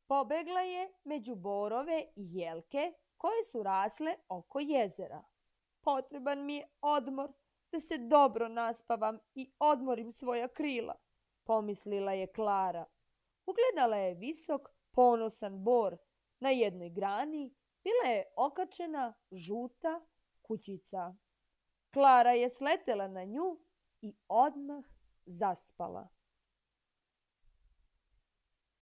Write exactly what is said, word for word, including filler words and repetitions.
Pobegla je među borove i jelke koje su rasle oko jezera. Potreban mi je odmor, da se dobro naspavam i odmorim svoja krila, pomislila je Klara. Ugledala je visok, ponosan bor. Na jednoj grani bila je okačena žuta kućica. Klara je sletela na nju i odmah zaspala.